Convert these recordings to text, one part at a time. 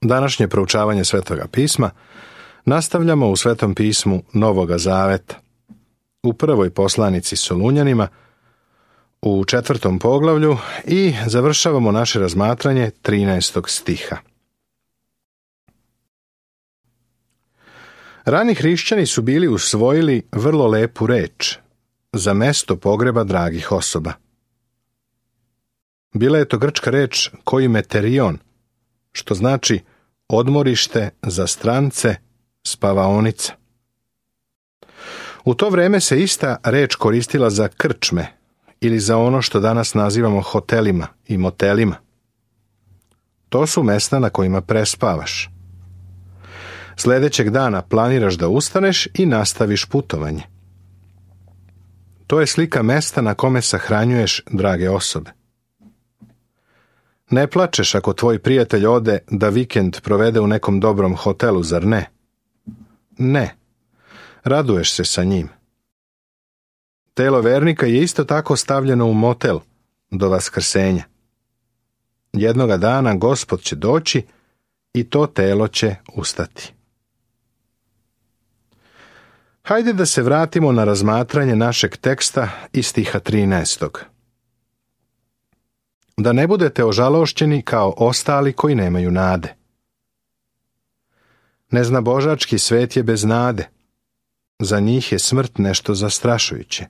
Današnje proučavanje Svetoga pisma nastavljamo u Svetom pismu Novoga Zaveta, u prvoj poslanici Solunjanima, u 4. poglavlju i završavamo naše razmatranje 13. stiha. Rani hrišćani su bili usvojili vrlo lepu reč za mesto pogreba dragih osoba. Bila je to grčka reč koimeterion, što znači odmorište za strance, spavaonica. U to vreme se ista reč koristila za krčme ili za ono što danas nazivamo hotelima i motelima. To su mesta na kojima prespavaš. Sljedećeg dana planiraš da ustaneš i nastaviš putovanje. To je slika mesta na kome sahranjuješ drage osobe. Ne plačeš ako tvoj prijatelj ode da vikend provede u nekom dobrom hotelu, zar ne? Ne. Raduješ se sa njim. Telo vernika je isto tako stavljeno u motel do vaskrsenja. Jednoga dana Gospod će doći i to telo će ustati. Hajde da se vratimo na razmatranje našeg teksta iz stiha 13. Da ne budete ožalošćeni kao ostali koji nemaju nade. Neznabožački svet je bez nade. Za njih je smrt nešto zastrašujuće.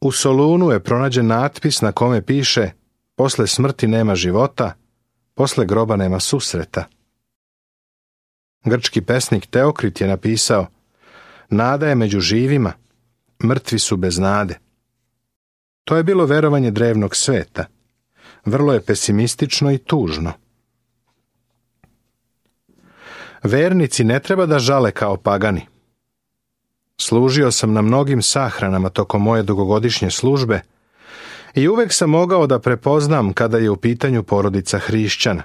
U Solunu je pronađen natpis na kome piše: posle smrti nema života, posle groba nema susreta. Grčki pesnik Teokrit je napisao: nada je među živima, mrtvi su bez nade. To je bilo verovanje drevnog sveta. Vrlo je pesimistično i tužno. Vernici ne treba da žale kao pagani. Služio sam na mnogim sahranama tokom moje dugogodišnje službe i uvek sam mogao da prepoznam kada je u pitanju porodica hrišćana.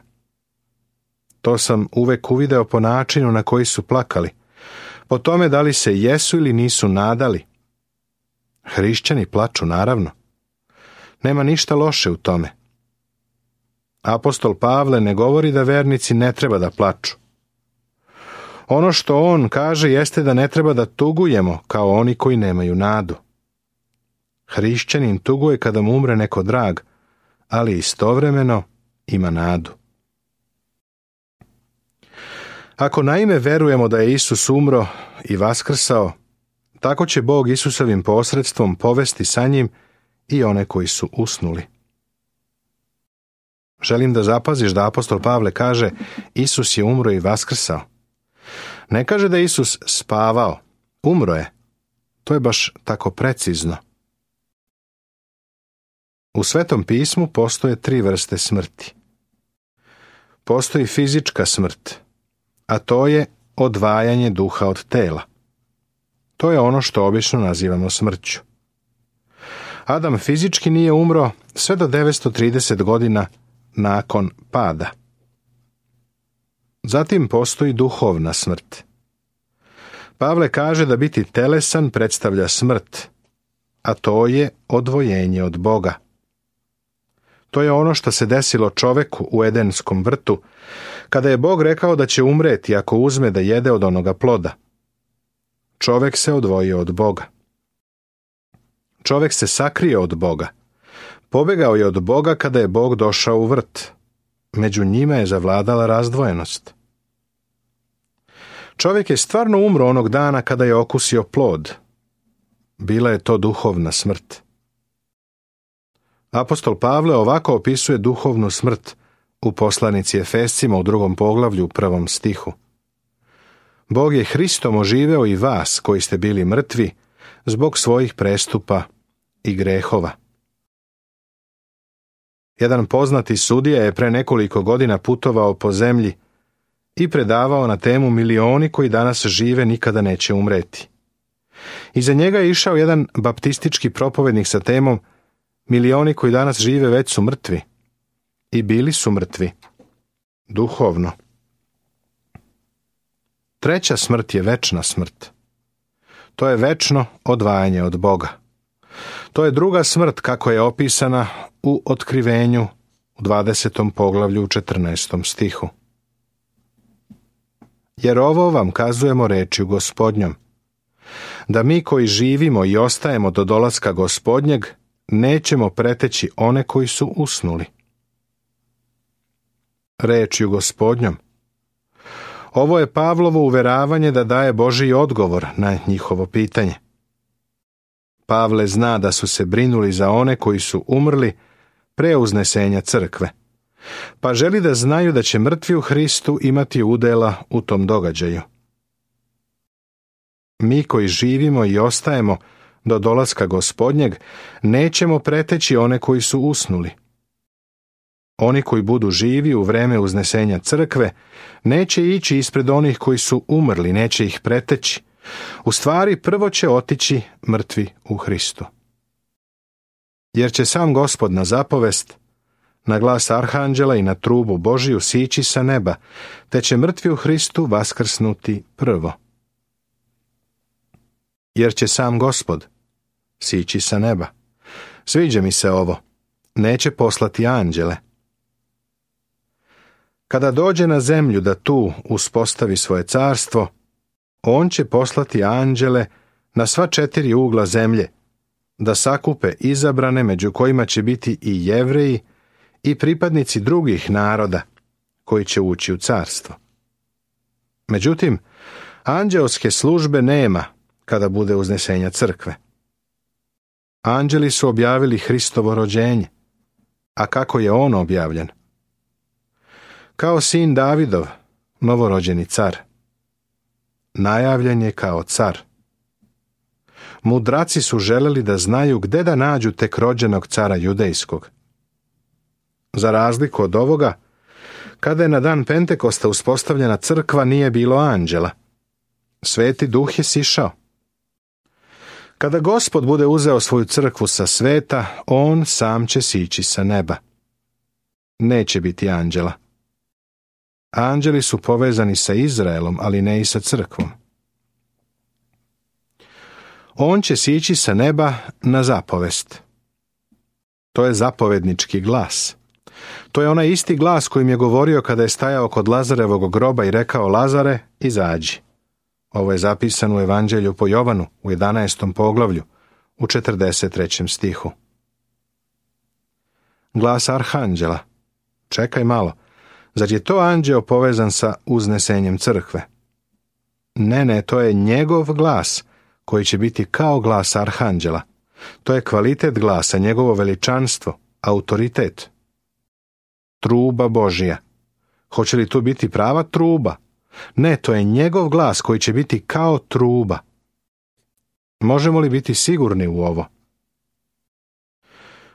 To sam uvek uvideo po načinu na koji su plakali, po tome da li se jesu ili nisu nadali. Hrišćani plaču, naravno. Nema ništa loše u tome. Apostol Pavle ne govori da vernici ne treba da plaču. Ono što on kaže jeste da ne treba da tugujemo kao oni koji nemaju nadu. Hrišćanin tuguje kada mu umre neko drag, ali istovremeno ima nadu. Ako naime verujemo da je Isus umro i vaskrsao, tako će Bog Isusovim posredstvom povesti sa njim i one koji su usnuli. Želim da zapaziš da apostol Pavle kaže: Isus je umro i vaskrsao. Ne kaže da je Isus spavao, umro je. To je baš tako precizno. U Svetom pismu postoje 3 vrste smrti. Postoji fizička smrt, a to je odvajanje duha od tela. To je ono što obično nazivamo smrću. Adam fizički nije umro sve do 930 godina nakon pada. Zatim postoji duhovna smrt. Pavle kaže da biti telesan predstavlja smrt, a to je odvojenje od Boga. To je ono što se desilo čoveku u Edenskom vrtu, kada je Bog rekao da će umreti ako uzme da jede od onoga ploda. Čovek se odvojio od Boga. Čovek se sakrio od Boga. Pobegao je od Boga kada je Bog došao u vrt. Među njima je zavladala razdvojenost. Čovjek je stvarno umro onog dana kada je okusio plod. Bila je to duhovna smrt. Apostol Pavle ovako opisuje duhovnu smrt u poslanici Efescima u 2. poglavlju u 1. stihu. Bog je Hristom oživeo i vas koji ste bili mrtvi zbog svojih prestupa i grehova. Jedan poznati sudija je pre nekoliko godina putovao po zemlji i predavao na temu milioni koji danas žive nikada neće umreti. Iza njega je išao jedan baptistički propovednik sa temom milioni koji danas žive već su mrtvi. I bili su mrtvi. Duhovno. Treća smrt je večna smrt. To je večno odvajanje od Boga. To je druga smrt kako je opisana u Otkrivenju u 20. poglavlju u 14. stihu. Jer ovo vam kazujemo rečju Gospodnjom, da mi koji živimo i ostajemo do dolaska Gospodnjeg, nećemo preteći one koji su usnuli. Rečju Gospodnjom. Ovo je Pavlovo uveravanje da daje Božji odgovor na njihovo pitanje. Pavle zna da su se brinuli za one koji su umrli pre uznesenja crkve, pa želi da znaju da će mrtvi u Hristu imati udjela u tom događaju. Mi koji živimo i ostajemo do dolaska Gospodnjeg, nećemo preteći one koji su usnuli. Oni koji budu živi u vreme uznesenja crkve, neće ići ispred onih koji su umrli, neće ih preteći. U stvari, prvo će otići mrtvi u Hristu. Jer će sam Gospod na zapovest, na glas arhanđela i na trubu Božiju sići sa neba, te će mrtvi u Hristu vaskrsnuti prvo. Jer će sam Gospod sići sa neba. Sviđa mi se ovo. Neće poslati anđele. Kada dođe na zemlju da tu uspostavi svoje carstvo, on će poslati anđele na sva 4 ugla zemlje, da sakupe izabrane, među kojima će biti i Jevreji i pripadnici drugih naroda koji će ući u carstvo. Međutim, anđeoske službe nema kada bude uznesenja crkve. Anđeli su objavili Hristovo rođenje, a kako je on objavljen? Kao sin Davidov, novorođeni car. Najavljen je kao car. Mudraci su želeli da znaju gde da nađu tek rođenog cara judejskog. Za razliku od ovoga, kada je na dan Pentekosta uspostavljena crkva, nije bilo anđela. Sveti Duh je sišao. Kada Gospod bude uzeo svoju crkvu sa sveta, on sam će sići sa neba. Neće biti anđela. Anđeli su povezani sa Izraelom, ali ne i sa crkvom. On će sići sa neba na zapovest. To je zapovednički glas. To je onaj isti glas kojim je govorio kada je stajao kod Lazarevog groba i rekao: Lazare, izađi. Ovo je zapisano u Evanđelju po Jovanu u 11. poglavlju u 43. stihu. Glas arhanđela. Čekaj malo. Zar je to anđeo povezan sa uznesenjem crkve? Ne, to je njegov glas, koji će biti kao glas arhanđela. To je kvalitet glasa, njegovo veličanstvo, autoritet. Truba Božija. Hoće li to biti prava truba? Ne, to je njegov glas koji će biti kao truba. Možemo li biti sigurni u ovo?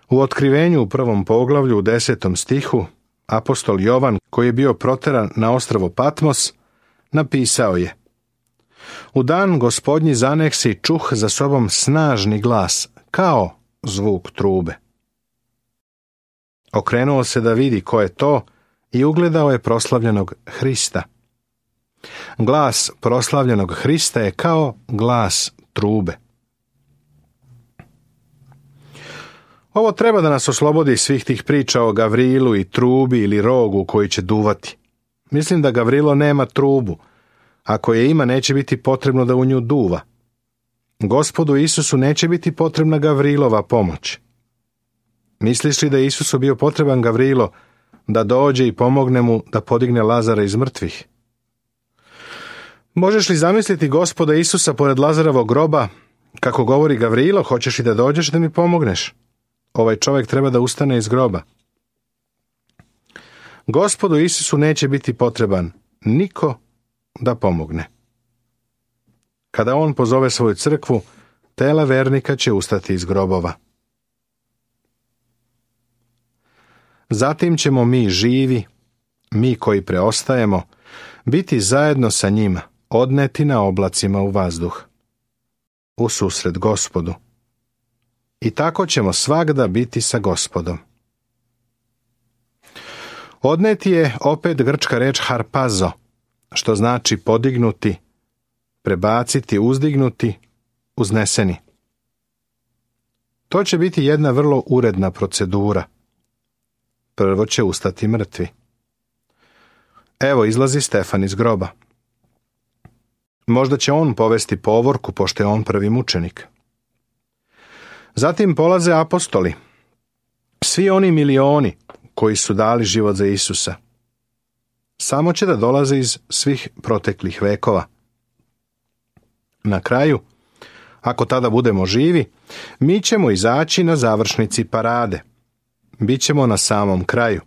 U Otkrivenju u 1. poglavlju u 10. stihu apostol Jovan, koji je bio proteran na ostrvo Patmos, napisao je: U dan Gospodnji zaneksi čuh za sobom snažni glas, kao zvuk trube. Okrenuo se da vidi ko je to i ugledao je proslavljenog Hrista. Glas proslavljenog Hrista je kao glas trube. Ovo treba da nas oslobodi svih tih priča o Gavrilu i trubi ili rogu koji će duvati. Mislim da Gavrilo nema trubu. Ako je ima, neće biti potrebno da u nju duva. Gospodu Isusu neće biti potrebna Gavrilova pomoć. Misliš li da je Isusu bio potreban Gavrilo da dođe i pomogne mu da podigne Lazara iz mrtvih? Možeš li zamisliti Gospoda Isusa pored Lazarovog groba, kako govori Gavrilo: hoćeš li da dođeš da mi pomogneš? Ovaj čovjek treba da ustane iz groba. Gospodu Isusu neće biti potreban niko da pomogne. Kada on pozove svoju crkvu, tela vernika će ustati iz grobova. Zatim ćemo mi živi, mi koji preostajemo, biti zajedno sa njima, odneti na oblacima u vazduh, u susret Gospodu. I tako ćemo svagda biti sa Gospodom. Odneti je opet grčka reč harpazo, što znači podignuti, prebaciti, uzdignuti, uzneseni. To će biti jedna vrlo uredna procedura. prvo će ustati mrtvi. Evo izlazi Stefan iz groba. Možda će on povesti povorku, pošto je on prvi mučenik. Zatim polaze apostoli, svi oni milioni koji su dali život za Isusa. Samo će da dolaze iz svih proteklih vekova. Na kraju, ako tada budemo živi, mi ćemo izaći na završnici parade. Bićemo na samom kraju.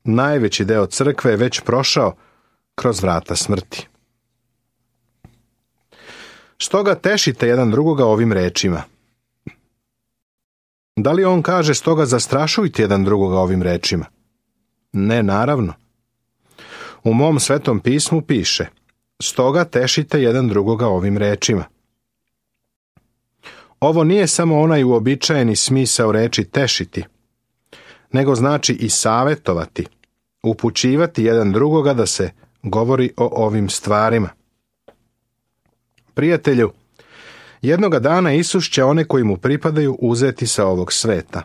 Najveći deo crkve je već prošao kroz vrata smrti. Stoga tešite jedan drugoga ovim rečima. Da li on kaže stoga zastrašujte jedan drugoga ovim rečima? Ne, naravno. U mom Svetom pismu piše: stoga tešite jedan drugoga ovim rečima. Ovo nije samo onaj uobičajeni smisao reči tešiti, nego znači i savetovati, upućivati jedan drugoga da se govori o ovim stvarima. Prijatelju, jednoga dana Isus će one koji mu pripadaju uzeti sa ovog sveta.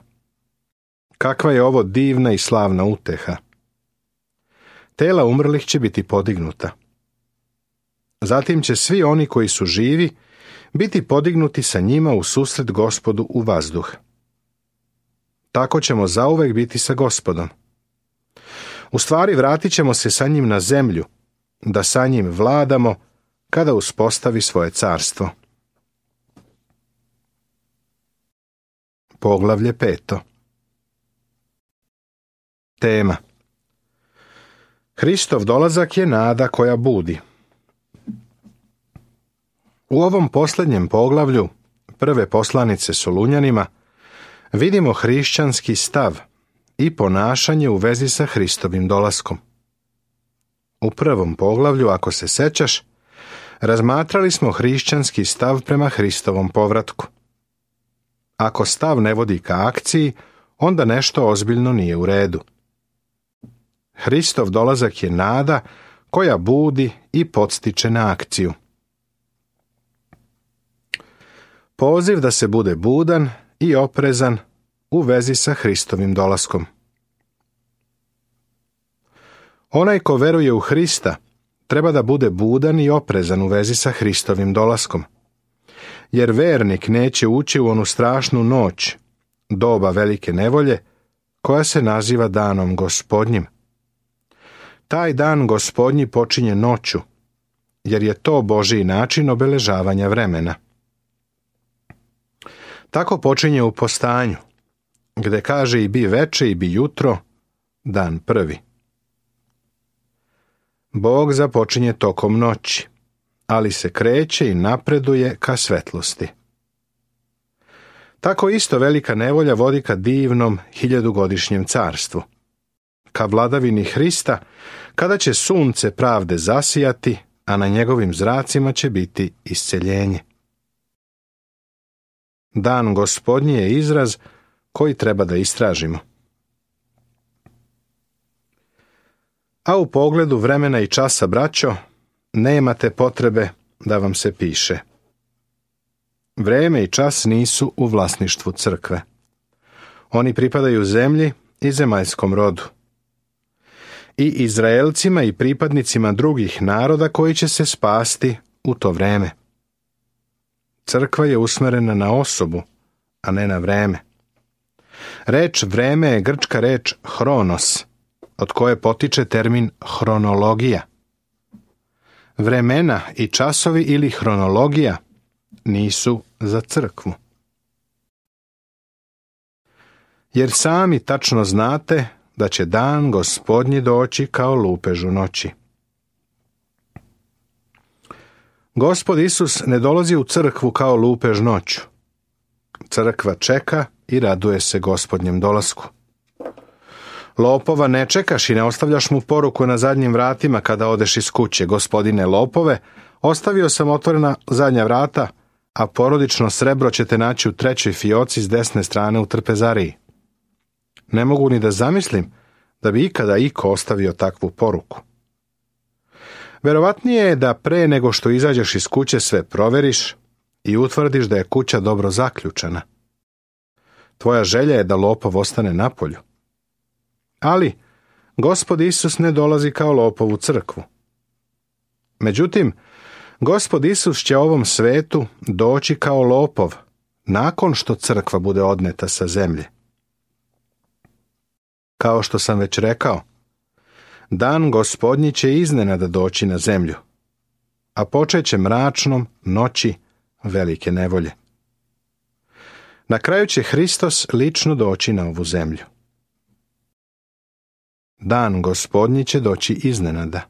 Kakva je ovo divna i slavna uteha! Tela umrlih će biti podignuta. Zatim će svi oni koji su živi biti podignuti sa njima u susret Gospodu u vazduh. Tako ćemo zauvek biti sa Gospodom. U stvari vratit ćemo se sa njim na zemlju, da sa njim vladamo kada uspostavi svoje carstvo. Poglavlje 5. Tema: Hristov dolazak je nada koja budi. U ovom posljednjem poglavlju prve poslanice Solunjanima vidimo hrišćanski stav i ponašanje u vezi sa Hristovim dolaskom. U prvom poglavlju, ako se sećaš, razmatrali smo hrišćanski stav prema Hristovom povratku. Ako stav ne vodi ka akciji, onda nešto ozbiljno nije u redu. Hristov dolazak je nada koja budi i podstiče na akciju. Poziv da se bude budan i oprezan u vezi sa Hristovim dolaskom. Onaj ko veruje u Hrista treba da bude budan i oprezan u vezi sa Hristovim dolaskom, jer vernik neće ući u onu strašnu noć, doba velike nevolje, koja se naziva danom Gospodnjim. Taj dan Gospodnji počinje noću, jer je to Božji način obeležavanja vremena. Tako počinje u postanju, gde kaže i bi veče i bi jutro, dan prvi. Bog započinje tokom noći, ali se kreće i napreduje ka svetlosti. Tako isto velika nevolja vodi ka divnom 1000-godišnjem carstvu, ka vladavini Hrista, kada će sunce pravde zasijati, a na njegovim zracima će biti isceljenje. Dan Gospodnji je izraz koji treba da istražimo. A u pogledu vremena i časa, braćo, nemate potrebe da vam se piše. Vreme i čas nisu u vlasništvu crkve. Oni pripadaju zemlji i zemaljskom rodu. I Izraelcima i pripadnicima drugih naroda koji će se spasti u to vreme. Crkva je usmerena na osobu, a ne na vreme. Reč vreme je grčka reč hronos, od koje potiče termin hronologija. Vremena i časovi ili hronologija nisu za crkvu. Jer sami tačno znate da će dan Gospodnji doći kao lupež u noći. Gospod Isus ne dolazi u crkvu kao lupež noću. Crkva čeka i raduje se Gospodnjem dolasku. Lopova ne čekaš i ne ostavljaš mu poruku na zadnjim vratima kada odeš iz kuće: Gospodine lopove, ostavio sam otvorena zadnja vrata, a porodično srebro ćete naći u 3. fioci s desne strane u trpezariji. Ne mogu ni da zamislim da bi ikada iko ostavio takvu poruku. Verovatnije je da pre nego što izađeš iz kuće sve proveriš i utvrdiš da je kuća dobro zaključana. Tvoja želja je da lopov ostane napolju. Ali Gospod Isus ne dolazi kao lopov u crkvu. Međutim, Gospod Isus će ovom svetu doći kao lopov nakon što crkva bude odneta sa zemlje. Kao što sam već rekao, dan Gospodnji će iznenada doći na zemlju, a počeće mračnom noći velike nevolje. Na kraju će Hristos lično doći na ovu zemlju. Dan Gospodnji će doći iznenada.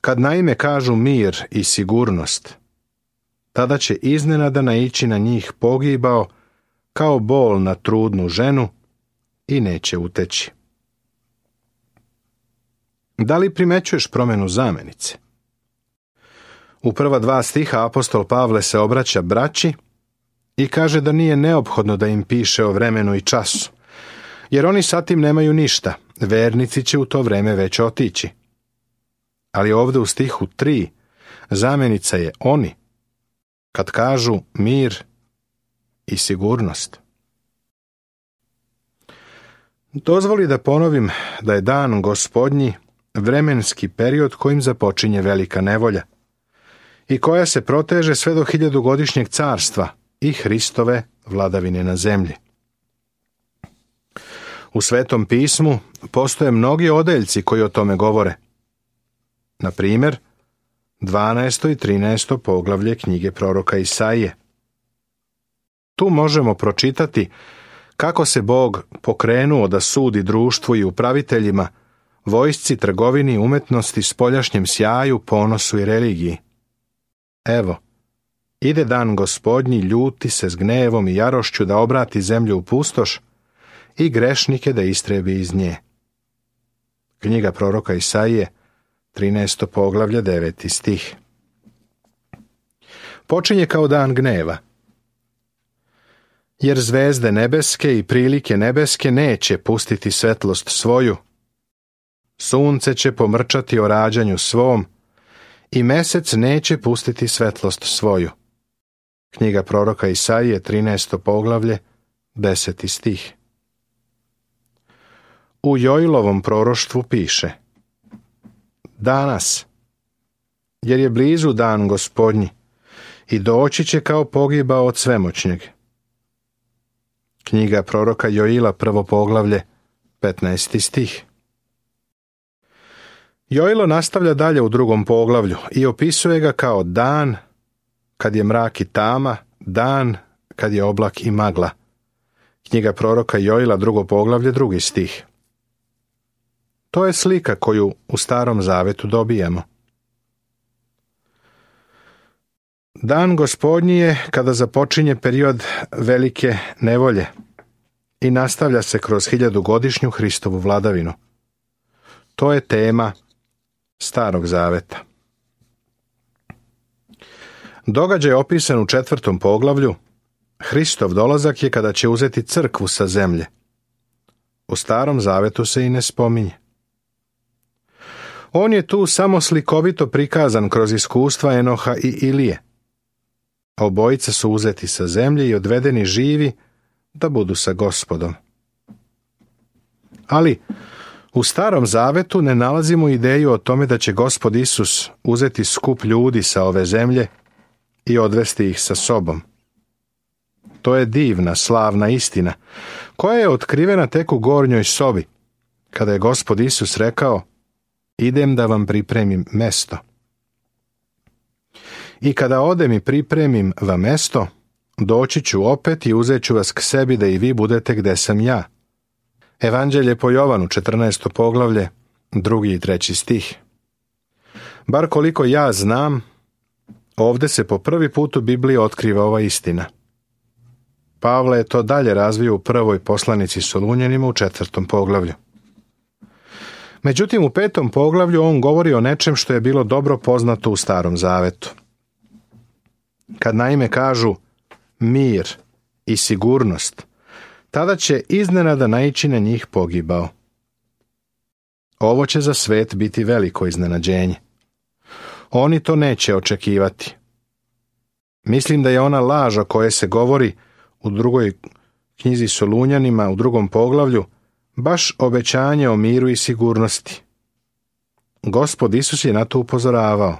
Kad naime kažu mir i sigurnost, tada će iznenada naići na njih pogibao kao bol na trudnu ženu i neće uteći. Da li primećuješ promjenu zamenice? U prva 2 stiha apostol Pavle se obraća braći i kaže da nije neophodno da im piše o vremenu i času, jer oni sa tim nemaju ništa, vernici će u to vreme već otići. Ali ovdje u stihu 3 zamenica je oni, kad kažu mir i sigurnost. Dozvoli da ponovim da je dan Gospodnji vremenski period kojim započinje velika nevolja i koja se proteže sve do 1000-godišnjeg carstva i Hristove vladavine na zemlji. U Svetom pismu postoje mnogi odeljci koji o tome govore. Na primjer, 12. i 13. poglavlje knjige proroka Isaije. Tu možemo pročitati kako se Bog pokrenuo da sudi društvu i upraviteljima, vojsci, trgovini, umetnosti, spoljašnjem sjaju, ponosu i religiji. Evo, ide dan Gospodnji, ljuti se s gnevom i jarošću da obrati zemlju u pustoš i grešnike da istrebi iz nje. Knjiga proroka Isaije, 13. poglavlje, 9. stih. Počinje kao dan gneva. Jer zvezde nebeske i prilike nebeske neće pustiti svetlost svoju, sunce će pomrčati o rađanju svom i mesec neće pustiti svetlost svoju. Knjiga proroka Isaije, 13. poglavlje, 10. stih. U Joilovom proroštvu piše: danas, jer je blizu dan Gospodnji i doći će kao pogibao od svemoćnjeg. Knjiga proroka Joila, 1. poglavlje, 15. stih. Joilo nastavlja dalje u 2. poglavlju i opisuje ga kao dan kad je mrak i tama, dan kad je oblak i magla. Knjiga proroka Joila, 2. poglavlje, 2. stih. To je slika koju u Starom Zavetu dobijemo. Dan Gospodnji je kada započinje period velike nevolje i nastavlja se kroz 1000-godišnju Hristovu vladavinu. To je tema Starog Zaveta. Događaj opisan u 4. poglavlju, Hristov dolazak je kada će uzeti crkvu sa zemlje. U Starom Zavetu se i ne spominje. On je tu samo slikovito prikazan kroz iskustva Enoha i Ilije. Obojica su uzeti sa zemlje i odvedeni živi da budu sa Gospodom. Ali u Starom Zavetu ne nalazimo ideju o tome da će Gospod Isus uzeti skup ljudi sa ove zemlje i odvesti ih sa sobom. To je divna, slavna istina, koja je otkrivena tek u gornjoj sobi, kada je Gospod Isus rekao: idem da vam pripremim mesto. I kada odem i pripremim vam mesto, doći ću opet i uzet ću vas k sebi da i vi budete gde sam ja. Evanđelje po Jovanu, 14. poglavlje, 2. i 3. stih. Bar koliko ja znam, ovdje se po prvi put u Bibliji otkriva ova istina. Pavle je to dalje razvio u prvoj poslanici Solunjanima u 4. poglavlju. Međutim, u 5. poglavlju on govori o nečem što je bilo dobro poznato u Starom Zavetu. Kad naime kažu mir i sigurnost, tada će iznenada naići na njih pogibao. Ovo će za svet biti veliko iznenađenje. Oni to neće očekivati. Mislim da je ona laž o kojoj se govori u 2. knjizi Solunjanima u 2. poglavlju baš obećanje o miru i sigurnosti. Gospod Isus je na to upozoravao.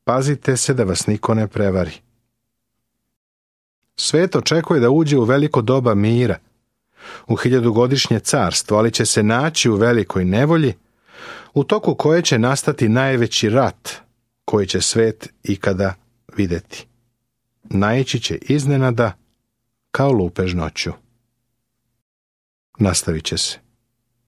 Pazite se da vas niko ne prevari. Svet očekuje da uđe u veliko doba mira, u 1000-godišnje carstvo, ali će se naći u velikoj nevolji, u toku koje će nastati najveći rat koji će svet ikada vidjeti. Naići će iznenada kao lupež noću. Nastavit će se.